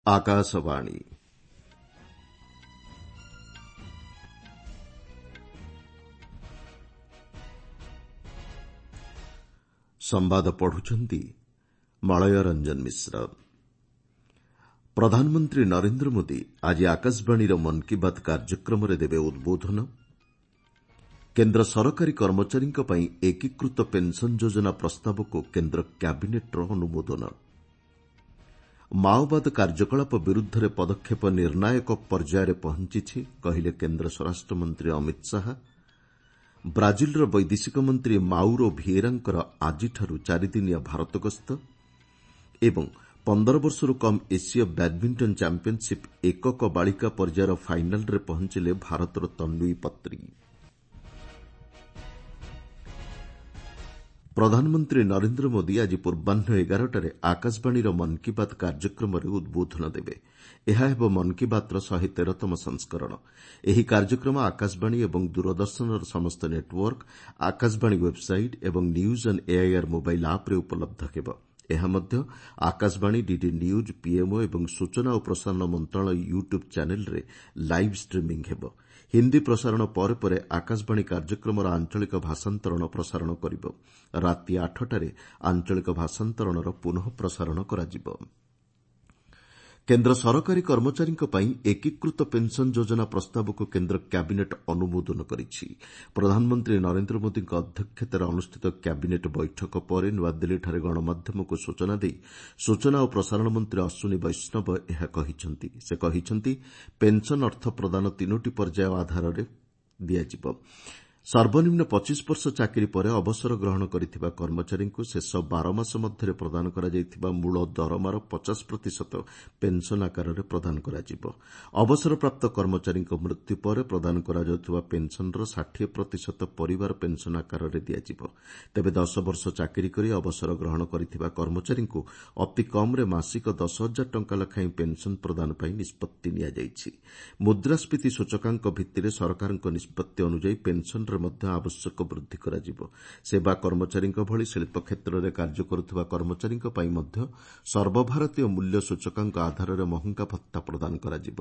ଆକାଶବାଣୀ। ସମ୍ବାଦ ପଢୁଛନ୍ତି ମଳୟ ରଞ୍ଜନ ମିଶ୍ର। ପ୍ରଧାନମନ୍ତ୍ରୀ ନରେନ୍ଦ୍ର ମୋଦି ଆଜି ଆକାଶବାଣୀର ମନ୍ କୀ ବାତ୍ କାର୍ଯ୍ୟକ୍ରମରେ ଦେବେ ଉଦ୍ବୋଧନ। କେନ୍ଦ୍ର ସରକାରୀ କର୍ମଚାରୀଙ୍କ ପାଇଁ ଏକୀକୃତ ପେନ୍ସନ୍ ଯୋଜନା ପ୍ରସ୍ତାବକୁ କେନ୍ଦ୍ର କ୍ୟାବିନେଟ୍ର ଅନୁମୋଦନ। ମାଓବାଦ କାର୍ଯ୍ୟକଳାପ ବିରୁଦ୍ଧରେ ପଦକ୍ଷେପ ନିର୍ଣ୍ଣାୟକ ପର୍ଯ୍ୟାୟରେ ପହଞ୍ଚିଛି, କହିଲେ କେନ୍ଦ୍ର ସ୍ୱରାଷ୍ଟ୍ରମନ୍ତ୍ରୀ ଅମିତ ଶାହା। ବ୍ରାଜିଲର ବୈଦେଶିକ ମନ୍ତ୍ରୀ ମାଉରୋ ଭିଏରାଙ୍କର ଆଜିଠାରୁ ଚାରିଦିନିଆ ଭାରତ ଗସ୍ତ ଏବଂ 15 ବର୍ଷରୁ କମ୍ ଏସୀୟ ବ୍ୟାଡ୍ମିଣ୍ଟନ ଚାମ୍ପିୟନ୍ସିପ୍ ଏକକ ବାଳିକା ପର୍ଯ୍ୟାୟର ଫାଇନାଲ୍ରେ ପହଞ୍ଚିଲେ ଭାରତର ତନ୍ୱୀ ପତ୍ରୀ। ପ୍ରଧାନମନ୍ତ୍ରୀ ନରେନ୍ଦ୍ର ମୋଦି ଆଜି ପୂର୍ବାହ୍ନ 11ଟାରେ ଆକାଶବାଣୀର ମନ୍ କୀ ବାତ୍ କାର୍ଯ୍ୟକ୍ରମରେ ଉଦ୍ବୋଧନ ଦେବେ। ଏହା ହେବ ମନ୍ କୀ ବାତ୍ର 113ତମ ସଂସ୍କରଣ। ଏହି କାର୍ଯ୍ୟକ୍ରମ ଆକାଶବାଣୀ ଏବଂ ଦୂରଦର୍ଶନର ସମସ୍ତ ନେଟ୍ୱର୍କ, ଆକାଶବାଣୀ ୱେବ୍ସାଇଟ୍ ଏବଂ ନ୍ୟୁଜ୍ ଅନ୍ ଏଆଇଆର୍ ମୋବାଇଲ୍ ଆପ୍ରେ ଉପଲବ୍ଧ ହେବ। ଏହା ମଧ୍ୟ ଆକାଶବାଣୀ, ଡିଡି ନ୍ୟୁଜ୍, ପିଏମ୍ଓ ଏବଂ ସୂଚନା ଓ ପ୍ରସାରଣ ମନ୍ତ୍ରଣାଳୟ ୟୁଟ୍ୟୁବ୍ ଚ୍ୟାନେଲ୍ରେ ଲାଇଭ୍ ଷ୍ଟ୍ରିମିଂ ହେବ। ହିନ୍ଦୀ ପ୍ରସାରଣ ପରେ ପରେ ଆକାଶବାଣୀ କାର୍ଯ୍ୟକ୍ରମର ଆଞ୍ଚଳିକ ଭାଷାନ୍ତରଣ ପ୍ରସାରଣ କରିବ। ରାତି 8ଟାରେ ଆଞ୍ଚଳିକ ଭାଷାନ୍ତରଣର ପୁନଃ ପ୍ରସାରଣ କରାଯିବ। କେନ୍ଦ୍ର ସରକାରୀ କର୍ମଚାରୀଙ୍କ ପାଇଁ ଏକୀକୃତ ପେନ୍ସନ୍ ଯୋଜନା ପ୍ରସ୍ତାବକୁ କେନ୍ଦ୍ର କ୍ୟାବିନେଟ୍ ଅନୁମୋଦନ କରିଛି। ପ୍ରଧାନମନ୍ତ୍ରୀ ନରେନ୍ଦ୍ର ମୋଦିଙ୍କ ଅଧ୍ୟକ୍ଷତାରେ ଅନୁଷ୍ଠିତ କ୍ୟାବିନେଟ୍ ବୈଠକ ପରେ ନୂଆଦିଲ୍ଲୀଠାରେ ଗଣମାଧ୍ୟମକୁ ସୂଚନା ଦେଇ ସୂଚନା ଓ ପ୍ରସାରଣ ମନ୍ତ୍ରୀ ଅଶ୍ୱିନୀ ବୈଷ୍ଣବ ଏହା କହିଛନ୍ତି। ସେ କହିଛନ୍ତି, ପେନ୍ସନ୍ ଅର୍ଥ ପ୍ରଦାନ ତିନୋଟି ପର୍ଯ୍ୟାୟ ଆଧାରରେ ଦିଆଯିବ। ସର୍ବନିମ୍ନ 25 ବର୍ଷ ଚାକିରି ପରେ ଅବସର ଗ୍ରହଣ କରିଥିବା କର୍ମଚାରୀଙ୍କୁ ଶେଷ 12 ମାସ ମଧ୍ୟରେ ପ୍ରଦାନ କରାଯାଇଥିବା ମୂଳ ଦରମାର 50 ପ୍ରତିଶତ ପେନ୍ସନ୍ ଆକାରରେ ପ୍ରଦାନ କରାଯିବ। ଅବସରପ୍ରାପ୍ତ କର୍ମଚାରୀଙ୍କ ମୃତ୍ୟୁ ପରେ ପ୍ରଦାନ କରାଯାଉଥିବା ପେନ୍ସନ୍ର 60 ପ୍ରତିଶତ ପରିବାର ପେନ୍ସନ୍ ଆକାରରେ ଦିଆଯିବ। ତେବେ 10 ବର୍ଷ ଚାକିରି କରି ଅବସର ଗ୍ରହଣ କରିଥିବା କର୍ମଚାରୀଙ୍କୁ ଅତି କମ୍ରେ ମାସିକ 10 ହଜାର ଟଙ୍କା ଲେଖାଏଁ ପେନ୍ସନ୍ ପ୍ରଦାନ ପାଇଁ ନିଷ୍ପତ୍ତି ନିଆଯାଇଛି। ମୁଦ୍ରାସ୍ଫୀତି ସୂଚକାଙ୍କ ଭିତ୍ତିରେ ସରକାରଙ୍କ ନିଷ୍ପତ୍ତି ଅନୁଯାୟୀ ପେନ୍ସନ୍ରେ ମଧ୍ୟ ଆବଶ୍ୟକ ବୃଦ୍ଧି କରାଯିବ। ସେବା କର୍ମଚାରୀଙ୍କ ଭଳି ଶିଳ୍ପ କ୍ଷେତ୍ରରେ କାର୍ଯ୍ୟ କରୁଥିବା କର୍ମଚାରୀଙ୍କ ପାଇଁ ମଧ୍ୟ ସର୍ବଭାରତୀୟ ମୂଲ୍ୟ ସୂଚକାଙ୍କ ଆଧାରରେ ମହଙ୍ଗା ଭତ୍ତା ପ୍ରଦାନ କରାଯିବ।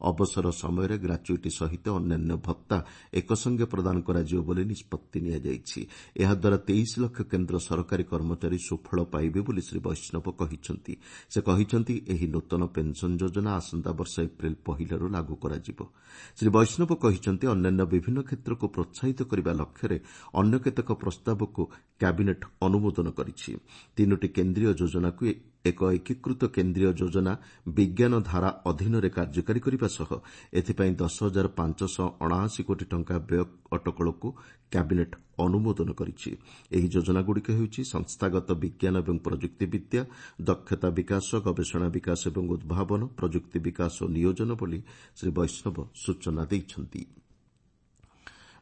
ଅବସର ସମୟରେ ଗ୍ରାଚ୍ୟୁଇଟି ସହିତ ଅନ୍ୟାନ୍ୟ ଭତ୍ତା ଏକସଙ୍ଗେ ପ୍ରଦାନ କରାଯିବ ବୋଲି ନିଷ୍ପତ୍ତି ନିଆଯାଇଛି। ଏହାଦ୍ୱାରା 23 ଲକ୍ଷ କେନ୍ଦ୍ର ସରକାରୀ କର୍ମଚାରୀ ସୁଫଳ ପାଇବେ ବୋଲି ଶ୍ରୀ ବୈଷ୍ଣବ କହିଛନ୍ତି। ସେ କହିଛନ୍ତି, ଏହି ନୂତନ ପେନ୍ସନ୍ ଯୋଜନା ଆସନ୍ତା ବର୍ଷ ଏପ୍ରିଲ 1ଲାରୁ ଲାଗୁ କରାଯିବ। ଶ୍ରୀ ବୈଷ୍ଣବ କହିଛନ୍ତି, ଅନ୍ୟାନ୍ୟ ବିଭିନ୍ନ କ୍ଷେତ୍ରକୁ ପ୍ରୋତ୍ସାହିତ କରିବା ଲକ୍ଷ୍ୟରେ ଅନ୍ୟ କେତେକ ପ୍ରସ୍ତାବକୁ କ୍ୟାବିନେଟ୍ ଅନୁମୋଦନ କରିଛି। ତିନୋଟି କେନ୍ଦ୍ରୀୟ ଯୋଜନାକୁ ଏକ ଏକୀକୃତ କେନ୍ଦ୍ରୀୟ ଯୋଜନା ବିଜ୍ଞାନ ଧାରା ଅଧୀନରେ କାର୍ଯ୍ୟକାରୀ କରିବା ସହ ଏଥିପାଇଁ 10,579 କୋଟି ଟଙ୍କା ବ୍ୟୟ ଅଟକଳକୁ କ୍ୟାବିନେଟ୍ ଅନୁମୋଦନ କରିଛି। ଏହି ଯୋଜନାଗୁଡ଼ିକ ହେଉଛି ସଂସ୍ଥାଗତ ବିଜ୍ଞାନ ଏବଂ ପ୍ରଯୁକ୍ତି ବିଦ୍ୟା, ଦକ୍ଷତା ବିକାଶ, ଗବେଷଣା ବିକାଶ ଏବଂ ଉଦ୍ଭାବନ, ପ୍ରଯୁକ୍ତି ବିକାଶ ଓ ନିୟୋଜନ ବୋଲି ଶ୍ରୀ ବୈଷ୍ଣବ ସୂଚନା ଦେଇଛନ୍ତି।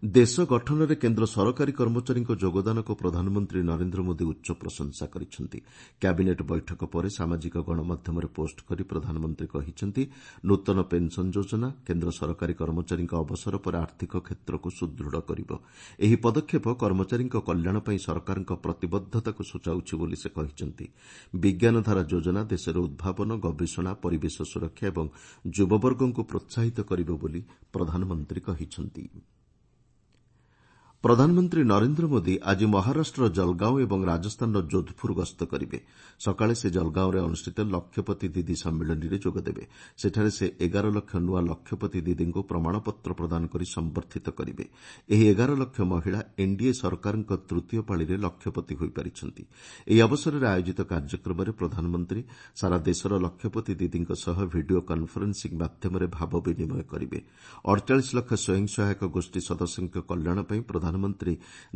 ଦେଶ ଗଠନରେ କେନ୍ଦ୍ର ସରକାରୀ କର୍ମଚାରୀଙ୍କ ଯୋଗଦାନକୁ ପ୍ରଧାନମନ୍ତ୍ରୀ ନରେନ୍ଦ୍ର ମୋଦି ଉଚ୍ଚ ପ୍ରଶଂସା କରିଛନ୍ତି। କ୍ୟାବିନେଟ୍ ବୈଠକ ପରେ ସାମାଜିକ ଗଣମାଧ୍ୟମରେ ପୋଷ୍ଟ କରି ପ୍ରଧାନମନ୍ତ୍ରୀ କହିଛନ୍ତି, ନୂତନ ପେନ୍ସନ୍ ଯୋଜନା କେନ୍ଦ୍ର ସରକାରୀ କର୍ମଚାରୀଙ୍କ ଅବସର ପରେ ଆର୍ଥିକ କ୍ଷେତ୍ରକୁ ସୁଦୃଢ଼ କରିବ। ଏହି ପଦକ୍ଷେପ କର୍ମଚାରୀଙ୍କ କଲ୍ୟାଣ ପାଇଁ ସରକାରଙ୍କ ପ୍ରତିବଦ୍ଧତାକୁ ସୂଚାଉଛି ବୋଲି ସେ କହିଛନ୍ତି। ବିଜ୍ଞାନଧାରା ଯୋଜନା ଦେଶରେ ଉଦ୍ଭାବନ, ଗବେଷଣା, ପରିବେଶ ସୁରକ୍ଷା ଏବଂ ଯୁବବର୍ଗଙ୍କୁ ପ୍ରୋତ୍ସାହିତ କରିବ ବୋଲି ପ୍ରଧାନମନ୍ତ୍ରୀ କହିଛନ୍ତି। ପ୍ରଧାନମନ୍ତ୍ରୀ ନରେନ୍ଦ୍ର ମୋଦି ଆଜି ମହାରାଷ୍ଟ୍ରର ଜଲଗାଓଁ ଏବଂ ରାଜସ୍ଥାନର ଯୋଧପୁର ଗସ୍ତ କରିବେ। ସକାଳେ ସେ ଜଲଗାଓଁରେ ଅନୁଷ୍ଠିତ ଲକ୍ଷପତି ଦିଦି ସମ୍ମିଳନୀରେ ଯୋଗଦେବେ। ସେଠାରେ ସେ 11 ଲକ୍ଷ ନୂଆ ଲକ୍ଷପତି ଦିଦିଙ୍କୁ ପ୍ରମାଣପତ୍ର ପ୍ରଦାନ କରି ସମ୍ବର୍ଦ୍ଧିତ କରିବେ। ଏହି 11 ଲକ୍ଷ ମହିଳା ଏନ୍ଡିଏ ସରକାରଙ୍କ ତୃତୀୟ ପାଳିରେ ଲକ୍ଷପତି ହୋଇପାରିଛନ୍ତି। ଏହି ଅବସରରେ ଆୟୋଜିତ କାର୍ଯ୍ୟକ୍ରମରେ ପ୍ରଧାନମନ୍ତ୍ରୀ ସାରା ଦେଶର ଲକ୍ଷପତି ଦିଦିଙ୍କ ସହ ଭିଡିଓ କନ୍ଫରେନ୍ସିଂ ମାଧ୍ୟମରେ ଭାବ ବିନିମୟ କରିବେ। 48 ଲକ୍ଷ ସ୍ୱୟଂ ସହାୟକ ଗୋଷ୍ଠୀ ସଦସ୍ୟଙ୍କ କଲ୍ୟାଣ ପାଇଁ ପ୍ରଧାନମନ୍ତ୍ରୀ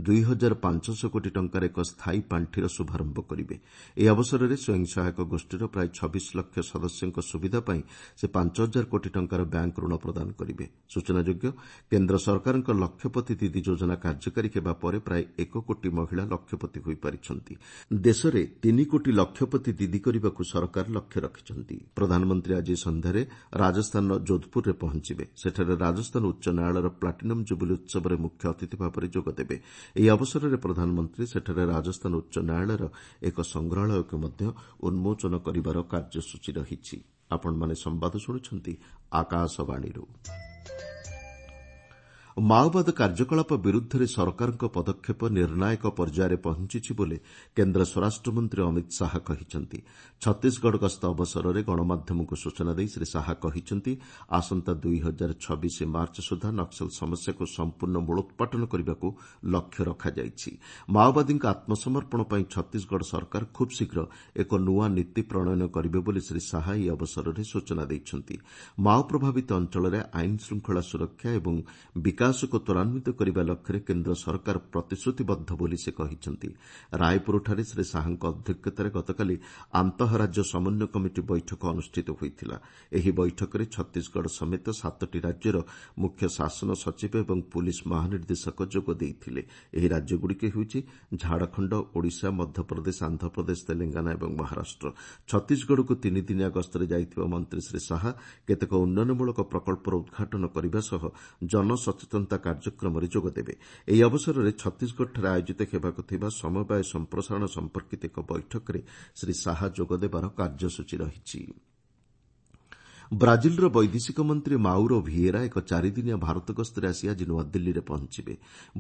2,500 କୋଟି ଟଙ୍କାର ଏକ ସ୍ଥାୟୀ ପାଣ୍ଠିର ଶୁଭାରମ୍ଭ କରିବେ। ଏହି ଅବସରରେ ସ୍ୱୟଂ ସହାୟକ ଗୋଷ୍ଠୀର ପ୍ରାୟ 26 ଲକ୍ଷ ସଦସ୍ୟଙ୍କ ସୁବିଧା ପାଇଁ ସେ 5 ହଜାର କୋଟି ଟଙ୍କାର ବ୍ୟାଙ୍କ ଋଣ ପ୍ରଦାନ କରିବେ। ସୂଚନାଯୋଗ୍ୟ, କେନ୍ଦ୍ର ସରକାରଙ୍କ ଲକ୍ଷପତି ଦିଦି ଯୋଜନା କାର୍ଯ୍ୟକାରୀ ହେବା ପରେ ପ୍ରାୟ 1 କୋଟି ମହିଳା ଲକ୍ଷପତି ହୋଇପାରିଛନ୍ତି। ଦେଶରେ 3 କୋଟି ଲକ୍ଷପତି ଦିଦି କରିବାକୁ ସରକାର ଲକ୍ଷ୍ୟ ରଖିଛନ୍ତି। ପ୍ରଧାନମନ୍ତ୍ରୀ ଆଜି ସନ୍ଧ୍ୟାରେ ରାଜସ୍ଥାନର ଯୋଧପୁରରେ ପହଞ୍ଚିବେ। ସେଠାରେ ରାଜସ୍ଥାନ ଉଚ୍ଚ ନ୍ୟାୟାଳୟର ପ୍ଲାଟିନମ୍ ଜୁବୁଲି ଉତ୍ସବରେ ମୁଖ୍ୟ ଅତିଥି ଭାବରେ ଯୋଗଦେବେ। ଏହି ଅବସରରେ ପ୍ରଧାନମନ୍ତ୍ରୀ ସେଠାରେ ରାଜସ୍ଥାନ ଉଚ୍ଚ ନ୍ୟାୟାଳୟର ଏକ ସଂଗ୍ରହାଳୟକୁ ମଧ୍ୟ ଉନ୍ମୋଚନ କରିବାର କାର୍ଯ୍ୟସୂଚୀ ରହିଛି। ଆପଣମାନେ ସମ୍ବାଦ ଶୁଣୁଛନ୍ତି ଆକାଶବାଣୀରୁ। ମାଓବାଦ କାର୍ଯ୍ୟକଳାପ ବିରୁଦ୍ଧରେ ସରକାରଙ୍କ ପଦକ୍ଷେପ ନିର୍ଣ୍ଣାୟକ ପର୍ଯ୍ୟାୟରେ ପହଞ୍ଚିଛି ବୋଲି କେନ୍ଦ୍ର ସ୍ୱରାଷ୍ଟ୍ରମନ୍ତ୍ରୀ ଅମିତ ଶାହା କହିଛନ୍ତି। ଛତିଶଗଡ଼ ଗସ୍ତ ଅବସରରେ ଗଣମାଧ୍ୟମକୁ ସୂଚନା ଦେଇ ଶ୍ରୀ ଶାହା କହିଛନ୍ତି, ଆସନ୍ତା 2026 ମାର୍ଚ୍ଚ ସୁଦ୍ଧା ନକ୍ସଲ ସମସ୍ୟାକୁ ସମ୍ପୂର୍ଣ୍ଣ ମୂଳୋତ୍ପାଟନ କରିବାକୁ ଲକ୍ଷ୍ୟ ରଖାଯାଇଛି। ମାଓବାଦୀଙ୍କ ଆତ୍ମସମର୍ପଣ ପାଇଁ ଛତିଶଗଡ଼ ସରକାର ଖୁବ୍ ଶୀଘ୍ର ଏକ ନୂଆ ନୀତି ପ୍ରଣୟନ କରିବେ ବୋଲି ଶ୍ରୀ ଶାହା ଏହି ଅବସରରେ ସୂଚନା ଦେଇଛନ୍ତି। ମାଓ ପ୍ରଭାବିତ ଅଞ୍ଚଳରେ ଆଇନ ଶୃଙ୍ଖଳା ସୁରକ୍ଷା ଏବଂ ବିକାଶକୁ ତ୍ୱରାନ୍ୱିତ କରିବା ଲକ୍ଷ୍ୟରେ କେନ୍ଦ୍ର ସରକାର ପ୍ରତିଶ୍ରୁତିବଦ୍ଧ ବୋଲି ସେ କହିଛନ୍ତି। ରାୟପୁରଠାରେ ଶ୍ରୀ ଶାହାଙ୍କ ଅଧ୍ୟକ୍ଷତାରେ ଗତକାଲି ଆନ୍ତଃରାଜ୍ୟ ସମନ୍ୱୟ କମିଟି ବୈଠକ ଅନୁଷ୍ଠିତ ହୋଇଥିଲା। ଏହି ବୈଠକରେ ଛତିଶଗଡ଼ ସମେତ ସାତଟି ରାଜ୍ୟର ମୁଖ୍ୟ ଶାସନ ସଚିବ ଏବଂ ପୁଲିସ୍ ମହାନିର୍ଦ୍ଦେଶକ ଯୋଗ ଦେଇଥିଲେ। ଏହି ରାଜ୍ୟଗୁଡ଼ିକ ହେଉଛି ଝାଡ଼ଖଣ୍ଡ, ଓଡ଼ିଶା, ମଧ୍ୟପ୍ରଦେଶ, ଆନ୍ଧ୍ରପ୍ରଦେଶ, ତେଲଙ୍ଗାନା ଏବଂ ମହାରାଷ୍ଟ୍ର। ଛତିଶଗଡ଼କୁ ତିନିଦିନିଆ ଗସ୍ତରେ ଯାଇଥିବା ମନ୍ତ୍ରୀ ଶ୍ରୀ ଶାହା କେତେକ ଉନ୍ନୟନମୂଳକ ପ୍ରକଳ୍ପର ଉଦ୍ଘାଟନ କରିବା ସହ ଜନସଚେତନତା କାର୍ଯ୍ୟକ୍ରମରେ ଯୋଗଦେବେ। ଏହି ଅବସରରେ ଛତିଶଗଡ଼ଠାରେ ଆୟୋଜିତ ହେବାକୁ ଥିବା ସମବାୟ ସମ୍ପ୍ରସାରଣ ସମ୍ପର୍କିତ ଏକ ବୈଠକରେ ଶ୍ରୀ ଶାହା ଯୋଗଦେବାର କାର୍ଯ୍ୟସୂଚୀ ରହିଛି। ବ୍ରାଜିଲର ବୈଦେଶିକ ମନ୍ତ୍ରୀ ମାଉରୋ ଭିଏରା ଏକ ଚାରିଦିନିଆ ଭାରତ ଗସ୍ତରେ ଆସି ଆଜି ନୂଆଦିଲ୍ଲୀରେ ପହଞ୍ଚିବେ।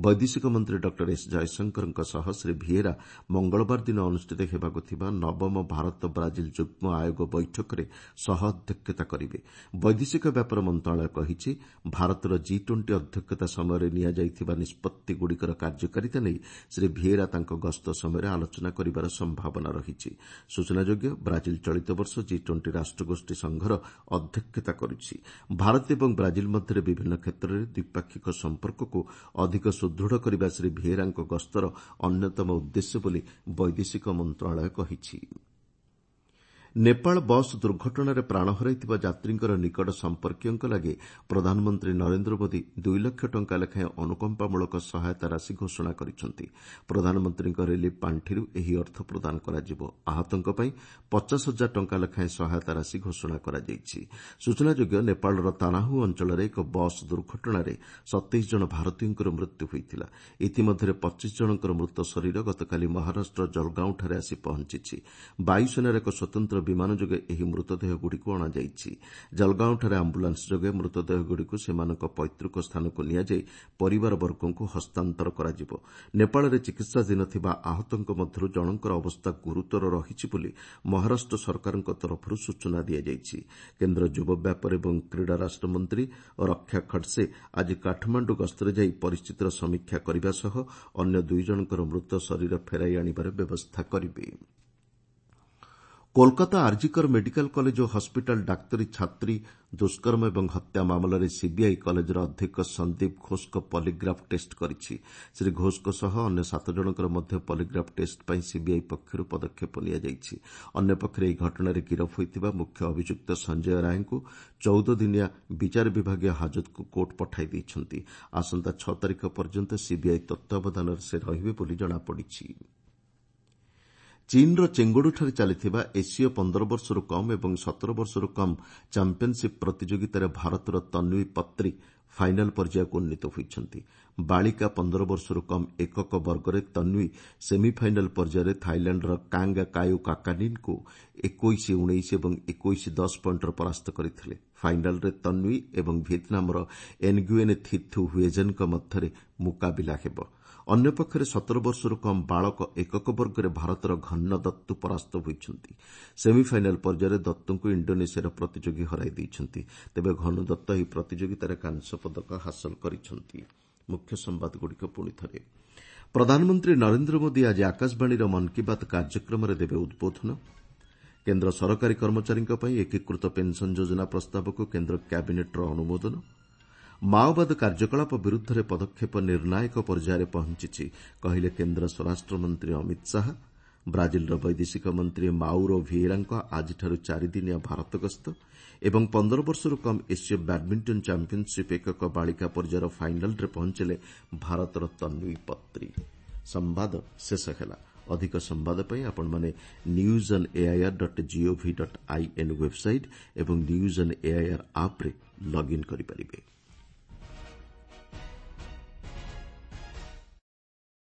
ବୈଦେଶିକ ମନ୍ତ୍ରୀ ଡକ୍ଟର ଏସ୍ ଜୟଶଙ୍କରଙ୍କ ସହ ଶ୍ରୀ ଭିଏରା ମଙ୍ଗଳବାର ଦିନ ଅନୁଷ୍ଠିତ ହେବାକୁ ଥିବା ନବମ ଭାରତ ବ୍ରାଜିଲ ଯୁଗ୍ମ ଆୟୋଗ ବୈଠକରେ ସହ ଅଧ୍ୟକ୍ଷତା କରିବେ। ବୈଦେଶିକ ବ୍ୟାପାର ମନ୍ତ୍ରଣାଳୟ କହିଛି, ଭାରତର ଜି 20 ଅଧ୍ୟକ୍ଷତା ସମୟରେ ନିଆଯାଇଥିବା ନିଷ୍ପତ୍ତିଗୁଡ଼ିକର କାର୍ଯ୍ୟକାରିତା ନେଇ ଶ୍ରୀ ଭିଏରା ତାଙ୍କ ଗସ୍ତ ସମୟରେ ଆଲୋଚନା କରିବାର ସମ୍ଭାବନା ରହିଛି। ସୂଚନାଯୋଗ୍ୟ, ବ୍ରାଜିଲ ଚଳିତ ବର୍ଷ ଜି 20 ରାଷ୍ଟ୍ରଗୋଷ୍ଠୀ ସଂଘର ଅଧ୍ୟକ୍ଷତା କରୁଛି। ଭାରତ ଏବଂ ବ୍ରାଜିଲ ମଧ୍ୟରେ ବିଭିନ୍ନ କ୍ଷେତ୍ରରେ ଦ୍ୱିପାକ୍ଷିକ ସମ୍ପର୍କକୁ ଅଧିକ ସୁଦୃଢ଼ କରିବା ଶ୍ରୀ ଭିଏରାଙ୍କ ଗସ୍ତର ଅନ୍ୟତମ ଉଦ୍ଦେଶ୍ୟ ବୋଲି ବୈଦେଶିକ ମନ୍ତ୍ରଣାଳୟ କହିଛି। ନେପାଳ ବସ୍ ଦୁର୍ଘଟଣାରେ ପ୍ରାଣ ହରାଇଥିବା ଯାତ୍ରୀଙ୍କର ନିକଟ ସମ୍ପର୍କୀୟଙ୍କ ଲାଗି ପ୍ରଧାନମନ୍ତ୍ରୀ ନରେନ୍ଦ୍ର ମୋଦି 2 ଲକ୍ଷ ଟଙ୍କା ଲେଖାଏଁ ଅନୁକମ୍ପାମୂଳକ ସହାୟତା ରାଶି ଘୋଷଣା କରିଛନ୍ତି। ପ୍ରଧାନମନ୍ତ୍ରୀଙ୍କ ରିଲିଫ୍ ପାଣ୍ଠିରୁ ଏହି ଅର୍ଥ ପ୍ରଦାନ କରାଯିବ। ଆହତଙ୍କ ପାଇଁ 50 ହଜାର ଟଙ୍କା ଲେଖାଏଁ ସହାୟତା ରାଶି ଘୋଷଣା କରାଯାଇଛି। ସୂଚନାଯୋଗ୍ୟ, ନେପାଳର ତାନାହୁ ଅଞ୍ଚଳରେ ଏକ ବସ୍ ଦୁର୍ଘଟଣାରେ 27 ଜଣ ଭାରତୀୟଙ୍କର ମୃତ୍ୟୁ ହୋଇଥିଲା। ଇତିମଧ୍ୟରେ 25 ଜଣଙ୍କର ମୃତ ଶରୀର ଗତକାଲି ମହାରାଷ୍ଟ୍ର ଜଲଗାଓଁଠାରେ ଆସି ପହଞ୍ଚିଛି। ବାୟୁସେନାର ଏକ ସ୍ୱତନ୍ତ୍ର ବିମାନ ଯୋଗେ ଏହି ମୃତଦେହଗୁଡ଼ିକୁ ଅଣାଯାଇଛି। ଜଲଗାଓଁଠାରେ ଆମ୍ବୁଲାନ୍ସ ଯୋଗେ ମୃତଦେହଗୁଡ଼ିକୁ ସେମାନଙ୍କ ପୈତୃକ ସ୍ଥାନକୁ ନିଆଯାଇ ପରିବାରବର୍ଗଙ୍କୁ ହସ୍ତାନ୍ତର କରାଯିବ। ନେପାଳରେ ଚିକିତ୍ସାଧୀନ ଥିବା ଆହତଙ୍କ ମଧ୍ୟରୁ ଜଣଙ୍କର ଅବସ୍ଥା ଗୁରୁତର ରହିଛି ବୋଲି ମହାରାଷ୍ଟ୍ର ସରକାରଙ୍କ ତରଫରୁ ସୂଚନା ଦିଆଯାଇଛି। କେନ୍ଦ୍ର ଯୁବ ବ୍ୟାପାର ଏବଂ କ୍ରୀଡ଼ା ରାଷ୍ଟ୍ରମନ୍ତ୍ରୀ ରକ୍ଷା ଖଡସେ ଆଜି କାଠମାଣ୍ଡୁ ଗସ୍ତରେ ଯାଇ ପରିସ୍ଥିତିର ସମୀକ୍ଷା କରିବା ସହ ଅନ୍ୟ ଦୁଇ ଜଣଙ୍କର ମୃତ ଶରୀର ଫେରାଇ ଆଣିବାର ବ୍ୟବସ୍ଥା କରିବେ। କୋଲକାତା ଆରଜିକର ମେଡିକାଲ କଲେଜ ଓ ହସ୍ପିଟାଲ ଡାକ୍ତରୀ ଛାତ୍ରୀ ଦୁଷ୍କର୍ମ ଏବଂ ହତ୍ୟା ମାମଲାରେ ସିବିଆଇ କଲେଜର ଅଧ୍ୟକ୍ଷ ସନ୍ଦୀପ ଘୋଷଙ୍କ ପଲିଗ୍ରାଫ୍ ଟେଷ୍ଟ କରିଛି। ଶ୍ରୀ ଘୋଷଙ୍କ ସହ ଅନ୍ୟ ସାତ ଜଣଙ୍କର ମଧ୍ୟ ପଲିଗ୍ରାଫ୍ ଟେଷ୍ଟ ପାଇଁ ସିବିଆଇ ପକ୍ଷରୁ ପଦକ୍ଷେପ ନିଆଯାଇଛି। ଅନ୍ୟପକ୍ଷରେ ଏହି ଘଟଣାରେ ଗିରଫ ହୋଇଥିବା ମୁଖ୍ୟ ଅଭିଯୁକ୍ତ ସଞ୍ଜୟ ରାୟଙ୍କୁ 14 ଦିନିଆ ବିଚାର ବିଭାଗୀୟ ହାଜତକୁ କୋର୍ଟ ପଠାଇ ଦେଇଛନ୍ତି। ଆସନ୍ତା 6 ତାରିଖ ପର୍ଯ୍ୟନ୍ତ ସିବିଆଇ ତତ୍ତ୍ୱାବଧାନରେ ସେ ରହିବେ ବୋଲି ଜଣାପଡ଼ିଛି। ଚୀନ୍ର ଚେଙ୍ଗଡୁଠାରେ ଚାଲିଥିବା ଏସୀୟ 15 ବର୍ଷରୁ କମ୍ ଏବଂ 17 ବର୍ଷରୁ କମ୍ ଚାମ୍ପିୟନ୍ସିପ୍ ପ୍ରତିଯୋଗିତାରେ ଭାରତର ତନ୍ୱୀ ପତ୍ରୀ ଫାଇନାଲ୍ ପର୍ଯ୍ୟାୟକୁ ଉନ୍ନୀତ ହୋଇଛନ୍ତି। ବାଳିକା 15 ବର୍ଷରୁ କମ୍ ଏକକ ବର୍ଗରେ ତନ୍ୱୀ ସେମିଫାଇନାଲ୍ ପର୍ଯ୍ୟାୟରେ ଥାଇଲାଣ୍ଡର କାଙ୍ଗ କାୟୁ କାକାନିନ୍ଙ୍କୁ 21 19 ଏବଂ 21 10 ପଏଣ୍ଟରେ ପରାସ୍ତ କରିଥିଲେ। ଫାଇନାଲ୍ରେ ତନ୍ୱୀ ଏବଂ ଭିଏତ୍ନାମର ଏନ୍ଗୁଏନ୍ ଥିଥୁ ହୁଏଜେନ୍ଙ୍କ ମଧ୍ୟରେ ମୁକାବିଲା ହେବ। ଅନ୍ୟପକ୍ଷରେ 17 ବର୍ଷରୁ କମ୍ ବାଳକ ଏକକ ବର୍ଗରେ ଭାରତର ଘନ ଦତ୍ତୁ ପରାସ୍ତ ହୋଇଛନ୍ତି। ସେମିଫାଇନାଲ୍ ପର୍ଯ୍ୟାୟରେ ଦତ୍ତୁଙ୍କୁ ଇଣ୍ଡୋନେସିଆର ପ୍ରତିଯୋଗୀ ହରାଇ ଦେଇଛନ୍ତି। ତେବେ ଘନ ଦତ୍ତ ଏହି ପ୍ରତିଯୋଗିତାରେ କାଂସ୍ୟ ପଦକ ହାସଲ କରିଛନ୍ତି। ମୁଖ୍ୟ ସମ୍ବାଦଗୁଡ଼ିକ ପୁଣି ଥରେ। ପ୍ରଧାନମନ୍ତ୍ରୀ ନରେନ୍ଦ୍ର ମୋଦି ଆଜି ଆକାଶବାଣୀର ମନ୍ କି ବାତ୍ କାର୍ଯ୍ୟକ୍ରମରେ ଦେବେ ଉଦ୍ବୋଧନ। କେନ୍ଦ୍ର ସରକାରୀ କର୍ମଚାରୀଙ୍କ ପାଇଁ ଏକୀକୃତ ପେନ୍ସନ୍ ଯୋଜନା ପ୍ରସ୍ତାବକୁ କେନ୍ଦ୍ର କ୍ୟାବିନେଟ୍ର ଅନୁମୋଦନ। ମାଓବାଦ କାର୍ଯ୍ୟକଳାପ ବିରୁଦ୍ଧରେ ପଦକ୍ଷେପ ନିର୍ଣ୍ଣାୟକ ପର୍ଯ୍ୟାୟରେ ପହଞ୍ଚିଛି, କହିଲେ କେନ୍ଦ୍ର ସ୍ୱରାଷ୍ଟ୍ରମନ୍ତ୍ରୀ ଅମିତ ଶାହା। ବ୍ରାଜିଲର ବୈଦେଶିକ ମନ୍ତ୍ରୀ ମାଉରୋ ଭିଏରାଙ୍କ ଆଜିଠାରୁ ଚାରିଦିନିଆ ଭାରତ ଗସ୍ତ ଏବଂ 15 ବର୍ଷରୁ କମ୍ ଏସୀୟ ବ୍ୟାଡ୍ମିଣ୍ଟନ ଚାମ୍ପିୟନ୍ସିପ୍ ଏକକ ବାଳିକା ପର୍ଯ୍ୟାୟର ଫାଇନାଲ୍ରେ ପହଞ୍ଚିଲେ ଭାରତର ତନ୍ୱୀ ପତ୍ରୀ। ସମ୍ବାଦ ଶେଷ ହେଲା। ଅଧିକ ସମ୍ବାଦ ପାଇଁ ଆପଣମାନେ news on AIR dot GOV dot IN website ଏବଂ ନ୍ୟୁଜ୍ ଅନ୍ ଏଆଇଆର୍ ଆପ୍ରେ ଲଗ୍ଇନ୍ କରିପାରିବେ।